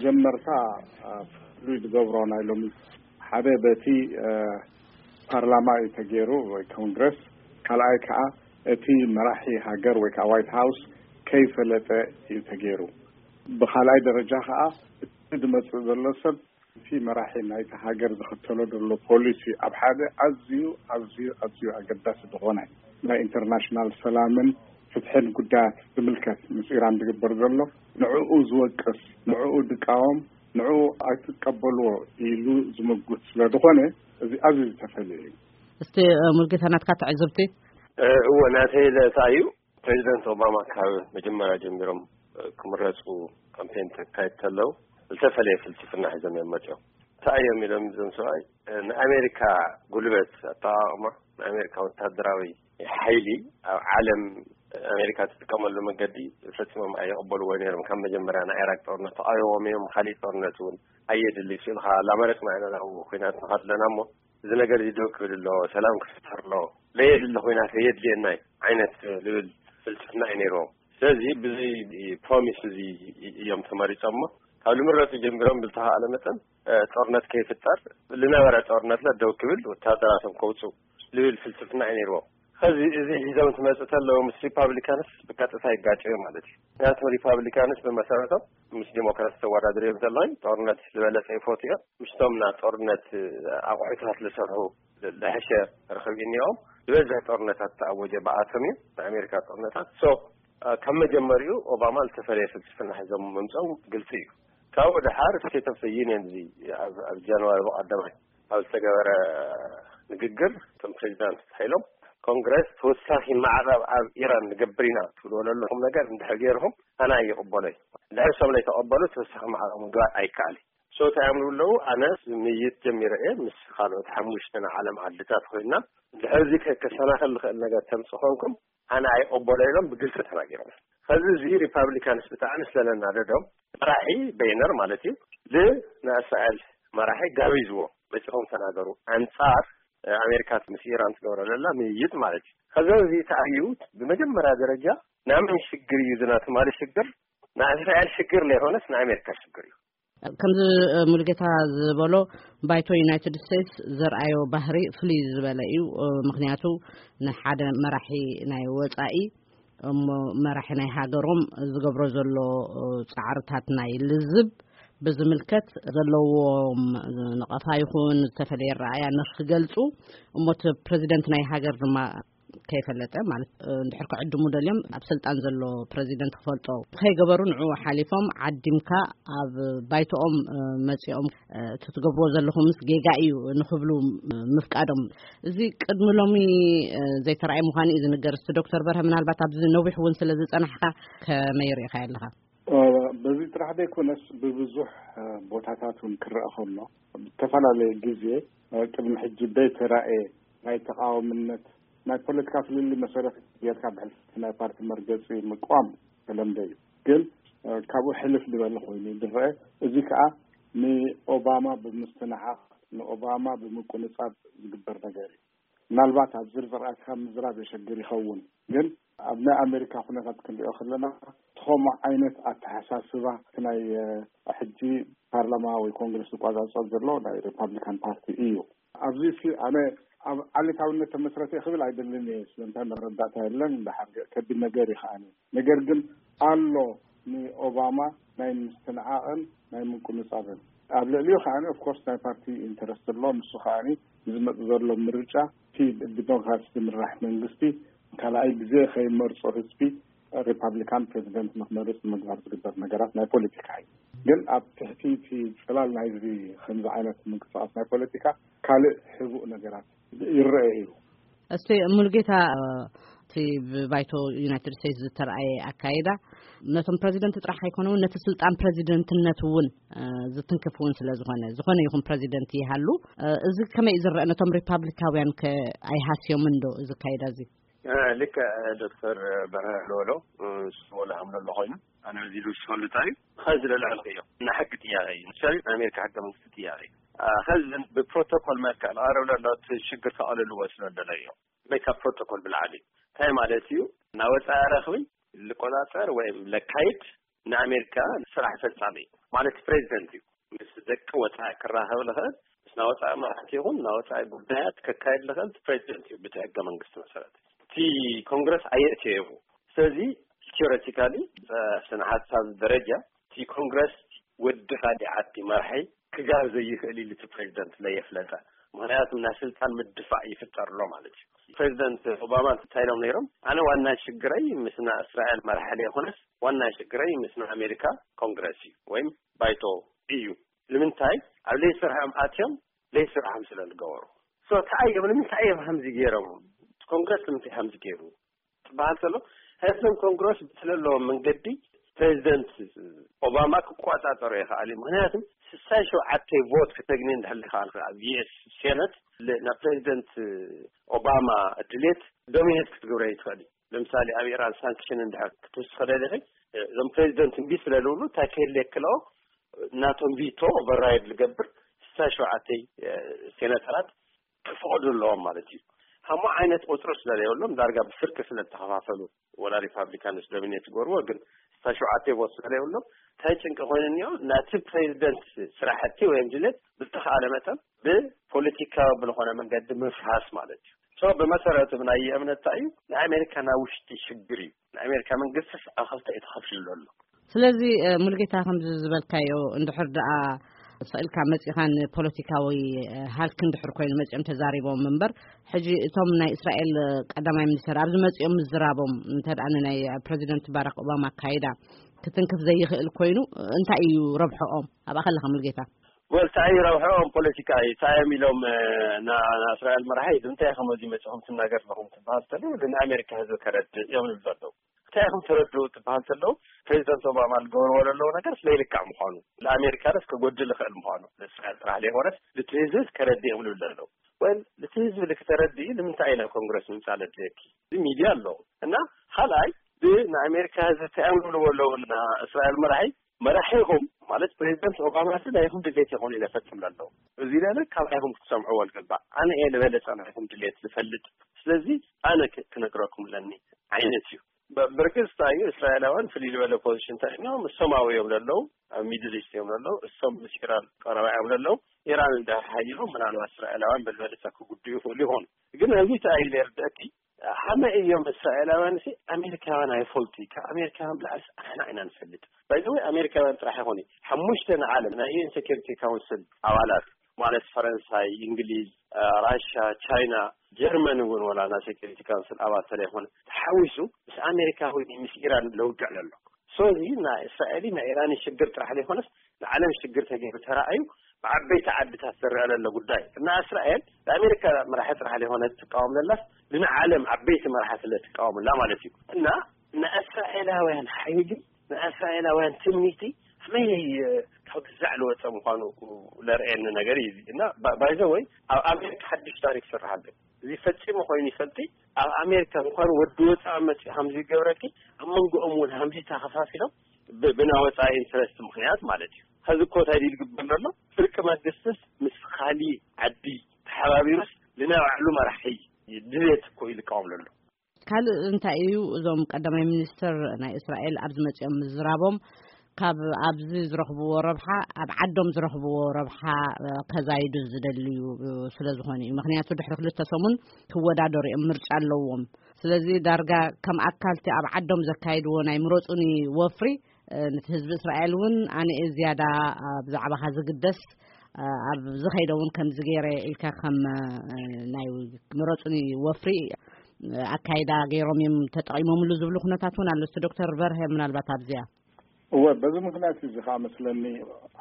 ጀመርታ ፍሉይ ዝገብሮ ናይ ሎሚ ሓደ በቲ ፓርላማ እዩ ተገይሩ ወይ ኮንግረስ፣ ካልኣይ ከዓ እቲ መራሒ ሃገር ወይ ከዓ ዋይት ሃውስ ከይፈለጠ እዩ ተገይሩ። ብካልኣይ ደረጃ ከዓ እቲ ዝመፅእ ዘሎ ሰብ እቲ መራሒ ናይቲ ሃገር ዝኽተሎ ዘሎ ፖሊሲ ኣብ ሓደ ኣዝዩ ኣዝዩ ኣዝዩ ኣገዳሲ ዝኾነ ናይ ኢንተርናሽናል ሰላምን ፍትሕን ጉዳያት ዝምልከት ምስ ኢራን ዝግበር ዘሎ ንዕኡ ዝወቅስ ንዕኡ ድቃወም ንዕኡ ኣይትቀበልዎ ኢሉ ዝምጉት ስለ ዝኾነ እዚ ኣዝዩ ዝተፈለየ እዩ። እስቲ ሙልጌታ ናትካ ትዕዝብቲ። እዎ ናተይ ለታ እዩ። ፕሬዚደንት ኦባማ ካብ መጀመርያ ጀሚሮም ክምረፁ ካምፔን ተካይድ ተለው ዝተፈለየ ፍልስፍና ሒዞም እዮም መፅኦም። እንታይ እዮም ኢሎም እዞም ሰብኣይ ንኣሜሪካ ጉልበት ኣጠቃቅማ ንኣሜሪካ ወታደራዊ ሓይሊ ኣብ ዓለም ኣሜሪካ ትጥቀመሉ መገዲ ፈፂሞም ኣይቕበልዎ ነይሮም። ካብ መጀመርያ ናይ ኢራቅ ጦርነት ተቃይዎም እዮም። ካሊእ ጦርነት እውን ኣየድሊ ስኢልካ ላመረፅና ኢና ናብ ኩናት ንኸድለና እሞ እዚ ነገር እዚ ደው ክብል ኣለዎ፣ ሰላም ክፍጠር ኣለዎ፣ ለየድሊ ኩናት የድልየና ዓይነት ልብል ፍልስፍና እዩ ነይርዎም። ስለዚ ብዚ ፕሮሚስ እዚ እዮም ተመሪፆሞ። ካብ ልምረፁ ጀሚሮም ብዝተኻእለ መጠን ጦርነት ከይፍጠር ልነበረ ጦርነት ለደው ክብል ወታደራቶም ከውፁ ልብል ፍልስፍና እዩ ነይርዎም። ከዚ እዚ ሒዞም ትመፅእ ተለዉ ምስ ሪፓብሊካንስ ብቀጥታ ይጋጨዩ ማለት እዩ። ምክንያቱም ሪፓብሊካንስ ብመሰረቶም ምስ ዲሞክራት ተወዳድር እዮም ዘለዉ። ጦርነት ዝበለፀ ይፈቱ እዮም። ምስቶም ና ጦርነት ኣቑሑታት ዝሰርሑ ዝሐሸ ርክብ እኒኦም ዝበዝሕ ጦርነታት ተኣወጀ ብኣቶም እዩ ንኣሜሪካ ጦርነታት ሶ ካብ መጀመሪኡ ኦባማ ዝተፈለየ ፍልስፍና ሒዞም ምምፀው ግልፂ እዩ። ካብኡ ድሓር ስቴት ኦፍ ዩኒየን እዚ ኣብ ጃንዋሪ ብቀዳማይ ኣብ ዝተገበረ ንግግር እቶም ፕሬዚዳንት ሓይሎም ኮንግረስ ተወሳኺ ማዕቐብ ኣብ ኢራን ንገብር ኢና ትብልዎ ዘለኹም ነገር እንድሕር ገይርኹም ኣነ ኣይቕበሎይ። እንድሕር እሶም ለይተቐበሉ ተወሳኺ ማዕቐብ ምግባር ኣይከኣል። ሶ እንታይ ኣምሩ ኣለዉ ኣነ ምይት ጀሚረ እየ ምስ ካልኦት ሓሙሽተ ናይ ዓለም ዓድታት ኮይና ድሕር እዚ ከሰናኸል ዝኽእል ነገር ተምፅ ኮንኩም ኣነ ኣይቕበሎ ኢሎም ብግልፂ ተናጊሮም። ከዚ እዚ ሪፓብሊካንስ ብጣዕሚ ስለለናደዶም መራሒ በይነር ማለት እዩ ንእስራኤል መራሒ ጋቢዝዎ መፂኹም ተናገሩ ኣንፃር ኣሜሪካ ምስ ኢራን ትገብረ ዘላ ምይይጥ ማለት እዩ። ከዚ እዚ ተኣዩ ብመጀመርያ ደረጃ ናመን ሽግር እዩ ዝና ትማሊ ሽግር ናይ እስራኤል ሽግር ለይኮነስ ናይ ኣሜሪካ ሽግር እዩ። ከምዚ ሙሉጌታ ዝበሎ ባይቶ ዩናይትድ ስቴትስ ዘርኣዮ ባህሪ ፍልይ ዝበለ እዩ። ምክንያቱ ንሓደ መራሒ ናይ ወፃኢ እሞ መራሒ ናይ ሃገሮም ዝገብሮ ዘሎ ፃዕርታት ናይ ልዝብ ብዝምልከት ዘለዎም ነቐፋ ይኹን ዝተፈለየ ረኣያ ንክገልፁ እሞ እቲ ፕሬዚደንት ናይ ሃገር ድማ ከይፈለጠ ማለት እንድሕር ክዕድሙ ደልዮም ኣብ ስልጣን ዘሎ ፕሬዚደንት ክፈልጦ ከይገበሩ ንዕኡ ሓሊፎም ዓዲምካ ኣብ ባይቶኦም መፂኦም እቲ ትገብርዎ ዘለኹምስ ጌጋ እዩ ንክብሉ ምፍቃዶም እዚ ቅድሚ ሎሚ ዘይተረኣየ ምዃኑ እዩ ዝንገር። እስቲ ዶክተር በርሀ ምናልባት ኣብዚ ነዊሕ እውን ስለ ዝፀናሕካ ከመይ ርኢኻ ኣለኻ? በዚ ጥራሕ ዘይኮነስ ብብዙሕ ቦታታት እውን ክረአ ከሎ ብዝተፈላለየ ግዜ ቅድሚ ሕጂ ዘይተራእየ ናይ ተቃዋምነት ናይ ፖለቲካ ፍልልይ መሰረት ጌርካ ብሕልፊ ናይ ፓርቲ መርገፂ ምቋም ተለምደ እዩ። ግን ካብኡ ሕልፍ ዝበለ ኮይኑ ዝረአ እዚ ከዓ ንኦባማ ብምስትንዓቕ ንኦባማ ብምቁንፃብ ዝግበር ነገር እዩ። ምናልባት ኣብ ዝርዝር ኣትካ ምዝራብ የሸግር ይኸውን። ግን ኣብ ናይ ኣሜሪካ ኩነታት ክንሪኦ ከለና ትኸምኡ ዓይነት ኣተሓሳስባ ናይ ሕጂ ፓርላማ ወይ ኮንግረስ ዝቋፃፀር ዘሎ ናይ ሪፓብሊካን ፓርቲ እዩ። ኣብዚ ኣነ ኣብ ዓሌታውነት ተመስረተ ክብል ኣይደልን እየ። ስለምንታይ መረዳእታ የለን። ከቢድ ነገር እዩ ከዓኒ። ነገር ግን ኣሎ ንኦባማ ናይ ምስትንዓቕን ናይ ምቁንጻብን ኣብ ልዕሊኡ ከዓኒ ኦፍኮርስ ናይ ፓርቲ ኢንተረስት ኣሎ። ንሱ ከዓኒ ዝመፅ ዘሎ ምርጫ እቲ ብዲሞክራሲ ዝምራሕ መንግስቲ ካልኣይ ግዜ ከይመርፆ ህዝቢ ሪፓብሊካን ፕሬዚደንት ንክመርፅ ንምግባር ዝግበር ነገራት ናይ ፖለቲካ እዩ። ግን ኣብ ትሕቲ እቲ ፅላል ናይዚ ከምዚ ዓይነት ምንቅስቃስ ናይ ፖለቲካ ካልእ ሕቡእ ነገራት ይረአ እዩ። እስቲ ሙሉጌታ እቲ ብባይቶ ዩናይትድ ስቴትስ ዝተረኣየ ኣካይዳ ነቶም ፕሬዚደንት ጥራሕ ኣይኮነ እውን ነቲ ስልጣን ፕሬዚደንትነት እውን ዝትንክፍ እውን ስለ ዝኾነ ዝኾነ ይኹን ፕሬዚደንት ይሃሉ እዚ ከመይ ዝረአ ነቶም ሪፓብሊካውያን ከ ኣይሃስዮምን ዶ እዚ ኣካይዳ እዚ? ልክዕ ዶክተር በርሀ ዝበሎ ስሞላ ሃምሎ ኣሎ ኮይኑ ኣነ እዚ ኢሉ ዝፈልጣ እዩ። ከዚ ለልዕል እዮም ናይ ሕጊ ጥያቄ እዩ። ምሳሌ ናይ ኣሜሪካ ሕገ መንግስቲ ጥያቄ እዩ። ከዚ ብፕሮቶኮል መልክዕ ዝቐርብ ዘሎ እቲ ሽግር ከቐልልዎ ስለ ደለ እዮም። ወይ ካብ ፕሮቶኮል ብላዕሊ እንታይ ማለት እዩ? ናይ ወፃኢ ረኽቢ ልቆፃፀር ወይ ለካይድ ንኣሜሪካ ስራሕ ፈፃሚ እዩ። ማለት ፕሬዚደንት እዩ። ምስ ደቂ ወፃኢ ክራኸብ ዝኽእል፣ ምስ ናይ ወፃኢ መራሕቲ ይኹን ናይ ወፃኢ ጉዳያት ከካይድ ዝኽእል እቲ ፕሬዚደንት እዩ፣ ብቲ ሕገ መንግስቲ መሰረት። እቲ ኮንግረስ ኣየእትዮ ይኹ። ስለዚ ቲዮሬቲካሊ፣ ስነ ሓሳብ ደረጃ፣ እቲ ኮንግረስ ወዲ ካሊእ ዓዲ መራሒ ክጋር ዘይኽእል ኢሉ እቲ ፕሬዚደንት ለየፍለጠ። ምክንያቱ ናይ ስልጣን ምድፋእ ይፍጠር ኣሎ ማለት እዩ። ፕሬዚደንት ኦባማ እንታይ ኢሎም ነይሮም? ኣነ ዋና ሽግረይ ምስ ናይ እስራኤል መራሒ ዘይኮነስ ዋና ሽግረይ ምስ ናይ ኣሜሪካ ኮንግረስ እዩ ወይም ባይቶ እዩ። ንምንታይ? ኣብ ለይስርሖም ኣትዮም ለይስርሖም ስለ ዝገበሩ። ሶ እንታይ እዮም፣ ንምንታይ እዮም ከምዚ ገይሮም? ኮንግረስ ንምንታይ ከምዚ ገይሩ ትበሃል ከሎ፣ ህዝብን ኮንግረስ ብትለለዎም መንገዲ ፕሬዚደንት ኦባማ ክቆጻጸሮ ይኽኣል እዩ። ምክንያቱ ስሳይ ሸውዓተ ቮት ክተግኒ እንድሕር ይኽኣል ኣብ ዩ ኤስ ሴነት ል-፣ ናብ ፕሬዚደንት ኦባማ ድሌት ዶሚኔት ክትገብረ ይትኽእል እዩ። ለምሳሌ ኣብ ኢራን ሳንክሽን እንድሕር ክትውስኽ ደሊኺ፣ እዞም ፕሬዚደንት እምቢ ስለ ዝብሉ እንታይ ክህል የክልኦ፣ ናቶም ቪቶ ኦቨርራይድ ዝገብር ስሳይ ሸውዓተ ሴናተራት ክፍቐዱ ኣለዎም ማለት እዩ። ከምኡ ዓይነት ቁፅሪ ስለ ዘይብሎም ዳርጋ ብፍርቂ ስለ ዝተኸፋፈሉ፣ ወላ ሪፓብሊካንስ ዶሚኔት ዝገብርዎ፣ ግን ስሳይ ሸውዓተ ቮት ስለ ዘይብሎም እንታይ ጭንቂ ኮይኑ እኒኦ፣ ናቲ ፕሬዚደንት ስራሕቲ ወይም ድሌት ብዝተኻለ መጠን ብፖለቲካዊ ብዝኾነ መንገዲ ምፍራስ ማለት እዩ። ሶ ብመሰረቱ ብናይ እምነት እንታይ እዩ፣ ናይ ኣሜሪካ ናይ ውሽጢ ሽግር እዩ። ናይ ኣሜሪካ መንግስቲስ ኣብ ክልተ እዩ ተኸፊሉ ዘሎ። ስለዚ እ፣ ሙሉጌታ፣ ከምዚ ዝበልካዮ፣ እንድሕር ደኣ ስቕ ኢልካ መጺኻ ንፖለቲካዊ እ፣ ሃልኪ እንድሕር ኮይኑ መጺኦም ተዛሪቦም እምበር፣ ሕጂ እቶም ናይ እስራኤል እ፣ ቀዳማይ ሚኒስተር ኣብዚ መጺኦም ምዝራቦም እንተ ደኣ ንናይ ፕረዚደንት ባራክ ኦባማ ኣካይዳ ክትንክፍ ዘይኽእል ኮይኑ፣ እ፣ እንታይ እዩ ረብሖኦም? ኣብኣ ከለኻ ሙሉጌታ። ወል፣ እንታይ እዩ ረብሖኦም? ፖለቲካ እዩ። እንታይ እዮም ኢሎም እ፣ ና-፣ ንእስራኤል መራሒ እንታይ ኢኹም እዚ መጺኹም ትናገር ኣለኹም ትበሃል ተሎ፣ ንኣሜሪካ ህዝቢ ከረድእ እዮም ዝብሉ ዘለዉ። እንታይ ኢኹም ተረድኡ ትበሃል ተሎ፣ ፕሬዚደንት ኦባማ ዝገብርዎ ዘለዉ ነገር ስለ ይልካዕ ምዃኑ፣ ንኣሜሪካ ደስ ከጎድል ይኽእል ምዃኑ፣ ንእስራኤል ጥራሕ ዘይኮነስ፣ እቲ ህዝቢ ከረድእ እዮም ዝብሉ ዘለዉ። ወል፣ እቲ ህዝቢ ልክተረድኢ ንምንታይ እዩ ናብ ኮንግረስ ምምጻእ ዘድልየኪ? እዚ ሚድያ ኣለዉ። እና ካልኣይ፣ ብ-፣ ንኣሜሪካ ህዝቢ እንታይ እዮም ዝብልዎ ኣለዉ? ንእስራኤል መራሒ፣ መራሒኹም ማለት ፕሬዚደንት ኦባማ እዚ ናይኹም ድሌት ይኾኑ ኢለ ፈጽም ኣለዉ። እዚ ለለ ካብ ኣይኹም ክትሰምዕዎ ዝግባእ። ኣነ እየ ዝበለጸ ናይኹም ድሌት ዝፈልጥ። ስለዚ ኣነ ክ-፣ ክነግረኩም ኣለኒ ዓይነት እዩ። ብ-፣ ብርግጽ እንታይ እዩ፣ እስራኤላውያን ፍልይ ዝበለ ፖዚሽን እንታይ እዮም? እሶም ኣብኡ እዮም ዘለዉ፣ ኣብ ሚድል ኢስት እዮም ዘለዉ፣ እሶም ምስ ኢራን ቀረባ እዮም ዘለዉ። ኢራን እንድሕር ሓይሎም ምናልባት እስራኤላውያን ብዝበለጸ ክጉድኡ ይኽእሉ ይኾኑ። ግን ኣብዚ እንታይ እዩ ዘርድአኪ፣ ሓመ እዮም እስራኤላውያን ሲ ኣሜሪካውያን ኣይፈልጡ እዩ። ካብ ኣሜሪካውያን ብላዕሊ ኣሕና ኢና ንፈልጥ። ባይዘወይ ኣሜሪካውያን ጥራሕ ይኾኑ ሓሙሽተ ንዓለም ናይ ዩ ኤን ሴኩሪቲ ካውንስል ኣባላት ማለት ፈረንሳይ፣ እንግሊዝ፣ እ፣ ራሻ፣ ቻይና፣ ጀርመን እውን ወላ ናይ ሴኩሪቲ ካውንስል ኣባል ተለይኮነ ተሓዊሱ ምስ ኣሜሪካ ኮይኑ ምስ ኢራን ለውግዕ ዘሎ። ሶ እዚ ናይ እስራኤል ናይ ኢራን ሽግር ጥራሕ ዘይኮነስ ንዓለም ሽግር ተገይሩ ተራእዩ ብዓበይቲ ዓድታት ዝረአ ዘሎ ጉዳይ። እና እስራኤል ንኣሜሪካ መራሒ ጥራሕ ዘይኮነ ትቃወም ዘላስ ንዓለም ዓበይቲ መራሕቲ ስለ ትቃወምላ ማለት እዩ። እና ንእስራኤላውያን ሓይሊ፣ ንእስራኤላውያን ትምኒቲ ከመይ ካብ ግዛዕ ዝወፀ ምዃኑ ለርእየኒ ነገር እዩ እዚ። እና ባ-፣ ባይዘወይ ኣብ ኣሜሪካ ሓድሽ ታሪክ ይስራሕ ኣሎ። እዚ ፈጺሙ ኮይኑ ይፈልጥ። ኣብ ኣሜሪካ እንኳን ወዲ ወፃኢ መፂኡ ሃምዚ ይገብረኪ፣ ኣብ መንጎኦም እውን ሃምዚ ተኸፋፊሎም ብ-፣ ብናይ ወፃኢ ኢንትረስት ምኽንያት ማለት እዩ። ኸዚ እኮ እንታይ ድዩ ዝግበር ዘሎ? ፍርቂ መንግስትስ ምስ ኻሊ ዓዲ ተሓባቢሩስ ንናይ ባዕሉ መራሒ ድሌት እኮ እዩ ዝቃወም ዘሎ። ካልእ እንታይ እዩ፣ እዞም ቀዳማይ ሚኒስትር ናይ እስራኤል ኣብዚ መፂኦም ምዝራቦም ካብ ኣብዚ ዝረኽብዎ ረብሓ ኣብ ዓዶም ዝረኽብዎ ረብሓ እ፣ ከዛይዱ ዝደልዩ እ፣ ስለ ዝኾኑ እዩ። ምክንያቱ ድሕሪ ክልተ ሰሙን ክወዳደሩ እዮም፣ ምርጫ ኣለዎም። ስለዚ ዳርጋ ከም ኣካልቲ ኣብ ዓዶም ዘካይድዎ ናይ ምረፁኒ ወፍሪ እ፣ ነቲ ህዝቢ እስራኤል እውን ኣነ እየ ዝያዳ እ፣ ብዛዕባኻ ዝግደስ እ፣ ኣብ ዝኸይደ እውን ከምዚ ገይረ ኢልካ ከም እ፣ ናይ ምረፁኒ ወፍሪ እ፣ ኣካይዳ ገይሮም እዮም ተጠቒሞምሉ ዝብሉ ኩነታት እውን ኣሎ። እስቲ ዶክተር በርሀ ምናልባት ኣብዚኣ እወ፣ በዚ ምኽንያት እዚ ኸዓ መስለኒ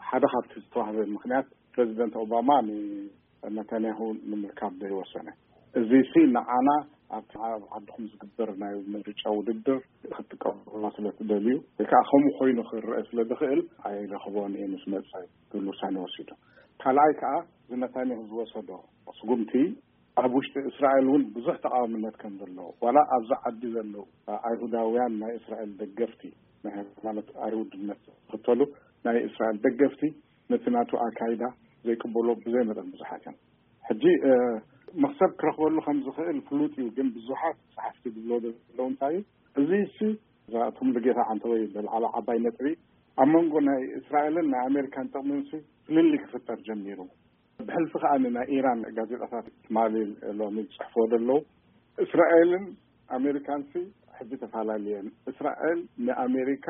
ሓደ ካብቲ ዝተዋህበ ምኽንያት ፕረዚደንት ኦባማ ንነታንያሁ ንምርካብ ዘይወሰነ። እዚ ሲ ንዓና ኣብቲ ኣብ ዓድኹም ዝግበር ናይ ምርጫ ውድድር ክትጥቀሙላ ስለ ትደልዩ ወይ ከዓ ከምኡ ኮይኑ ክረአ ስለ ዝኽእል ኣይረኽቦን እየ ምስ መፀ ዝብል ውሳኔ ወሲዱ። ካልኣይ ከዓ እዚ ነታንያሁ ዝወሰዶ ስጉምቲ ኣብ ውሽጢ እስራኤል እውን ብዙሕ ተቃዋምነት ከም ዘለዎ፣ ዋላ ኣብዚ ዓዲ ዘለዉ ኣይሁዳውያን ናይ እስራኤል ደገፍቲ፣ ናይ ሃይማኖት ኣይሁድነት ዝኽተሉ ናይ እስራኤል ደገፍቲ ነቲ ናቱ ኣካይዳ ዘይቅበሎ ብዘይ መጠን ብዙሓት እዮም። ሕጂ እ፣ መኽሰብ ክረኽበሉ ከም ዝኽእል ፍሉጥ እዩ፣ ግን ብዙሓት ጸሓፍቲ ዝብሎ ዘለዉ እንታይ እዩ፣ እዚ እሲ እዛ እቶም ልጌታ ዓንተወይ ብልዓላ ዓባይ ነጥቢ ኣብ መንጎ ናይ እስራኤልን ናይ ኣሜሪካን ጥቕሚ ምስ ፍልልይ ክፍጠር ጀሚሩ። ብሕልፊ ከኣ ናይ ኢራን ጋዜጣታት ትማሊ ሎሚ ዝጽሕፍዎ ዘለዉ፣ እስራኤልን ኣሜሪካንሲ ሕጂ ተፈላለየን። እስራኤል ንኣሜሪካ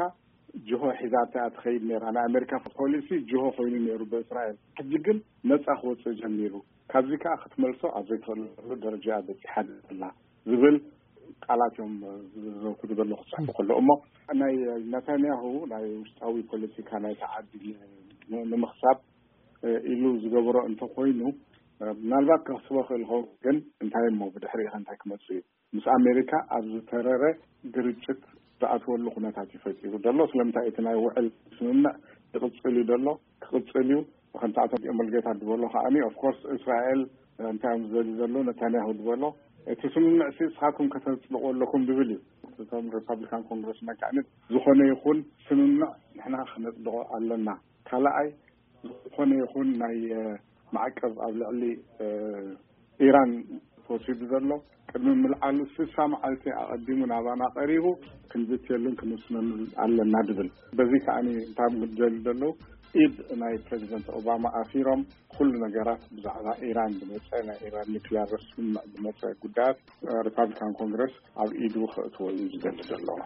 ጅሆ ሒዛታ እያ ትኸይድ ነይራ። ናይ ኣሜሪካ ፖሊሲ ጅሆ ኮይኑ ነይሩ ብእስራኤል። ሕጂ ግን ነጻ ክወጽእ ጀሚሩ። ካብዚ ከኣ ክትመልሶ ኣብ ዘይትኽእለሉ ደረጃ በጺሓ ኣላ ዝብል ቃላት እዮም ዘውክዱ ዘለዉ ክጽሕፉ ከለዉ። እሞ ናይ ናታንያሁ ናይ ውሽጣዊ ፖለቲካ ናይቲ ዓዲ ንምኽሳብ ኢሉ ዝገበሮ እንተኾይኑ፣ ምናልባት ከኽስቦ ክእል ይኸውን። ግን እንታይ እሞ ብድሕሪ እንታይ ክመጽእ እዩ? ምስ ኣሜሪካ ኣብ ዝተረረ ግርጭት ዝኣትወሉ ኩነታት እዩ ፈጢሩ ዘሎ። ስለምንታይ እቲ ናይ ውዕል ስምምዕ ይቕጽል እዩ ዘሎ? ክቕጽል እዩ። ከምቲ ኣቶ ሙልጌታ ዝበሎ ከዓኒ፣ ኦፍኮርስ፣ እስራኤል እንታይ እዮም ዝደልዩ ዘለዉ? ነታንያሁ ዝበሎ፣ እቲ ስምምዕ ሲ ንስኻትኩም ከተጽድቑ ኣለኩም ዝብል እዩ። እቶም ሪፓብሊካን ኮንግረስመን ከዓኒ፣ ዝኾነ ይኹን ስምምዕ ንሕና ክነጽድቖ ኣለና። ካልኣይ፣ ዝኾነ ይኹን ናይ ማዕቀብ ኣብ ልዕሊ ኢራን ተወሲዱ ዘሎ፣ ቅድሚ ምልዓሉ ስሳ መዓልቲ ኣቐዲሙ ናባና ቀሪቡ ክንዝትየሉን ክንውስነሉን ኣለና ድብል። በዚ ከዓኒ እንታይ ምድል ዘለዉ፣ ኢድ ናይ ፕሬዚደንት ኦባማ ኣሲሮም፣ ኩሉ ነገራት ብዛዕባ ኢራን ዝመጸ፣ ናይ ኢራን ኒክሊያር ስምምዕ ዝመጸ ጉዳያት ሪፓብሊካን ኮንግረስ ኣብ ኢዱ ክእትዎ እዩ ዝደሊ ዘለዎ።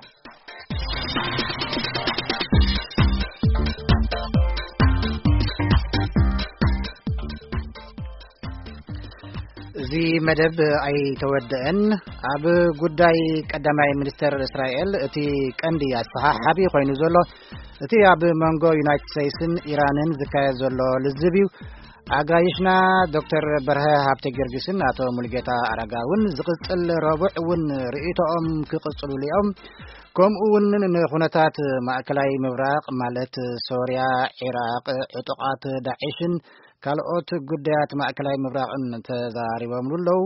እዚ መደብ ኣይተወደአን። ኣብ ጉዳይ ቀዳማይ ሚኒስተር እስራኤል እቲ ቀንዲ ኣሰሓሓቢ ኮይኑ ዘሎ እቲ ኣብ መንጎ ዩናይትድ ስቴትስን ኢራንን ዝካየድ ዘሎ ልዝብ እዩ። ኣጋይሽና ዶክተር በርሀ ሃብተ ጊዮርጊስን ኣቶ ሙልጌታ ኣረጋውን ዝቕጽል ረቡዕ እውን ርእይቶኦም ክቕጽሉሉ እዮም። ከምኡ እውን ንኹነታት ማእከላይ ምብራቕ ማለት ሶርያ፣ ዒራቕ፣ ዕጡቓት ዳዒሽን ካልኦት ጉዳያት ማእከላይ ምብራቕን ተዛሪቦምሉ ኣለዉ።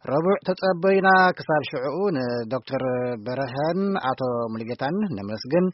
ረቡዕ ተጸበዩና። ክሳብ ሽዕኡ ንዶክተር በርሀን ኣቶ ሙልጌታን ነመስግን።